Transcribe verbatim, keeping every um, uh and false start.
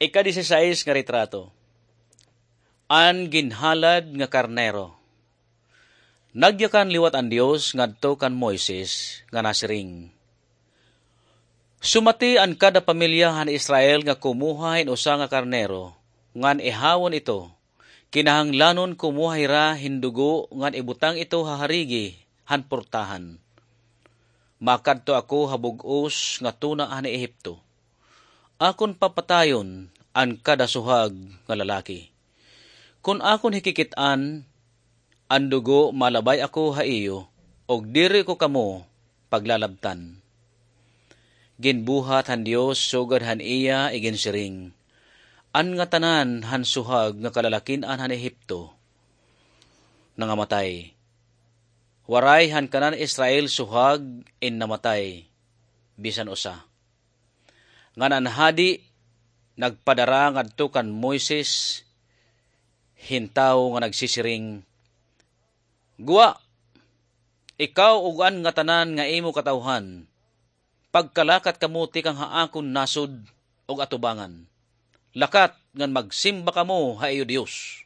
Ika-disisais nga retrato. An ginhalad nga karnero. Nagyakan liwat an Dios ngadto kan Moises nga nasiring, "Sumati an kada pamilya han Israel nga kumuha hin usa nga karnero, ngan ihawon ito. Kinahanglanon kumuha hira hin dugo ngan ibutang ito ha harigi han portahan. Makadto ako ha bug-os nga tuna han Ehipto. Akon papatayon an kada suhag nga lalaki. Kon akon hikikit-an an dugo, malabay ako ha iyo, ug diri ko kamo paglalabtan." Ginbuhat han Dios sugad han iya iginsiring, an ngatanan han suhag nga kalalakin-an han Ehipto nangamatay. Waray han kanan Israel suhag in namatay, bisan usa. Ngan an hadi nagpadara ngadto kan Moises hin tawo nga nagsisiring, "Gwa, ikaw ug an ngatanan nga imo katawhan, pagkalakat kamo tikang ha akon nasod ug atubangan. Lakat ngan magsimba kamo ha iyo Dios."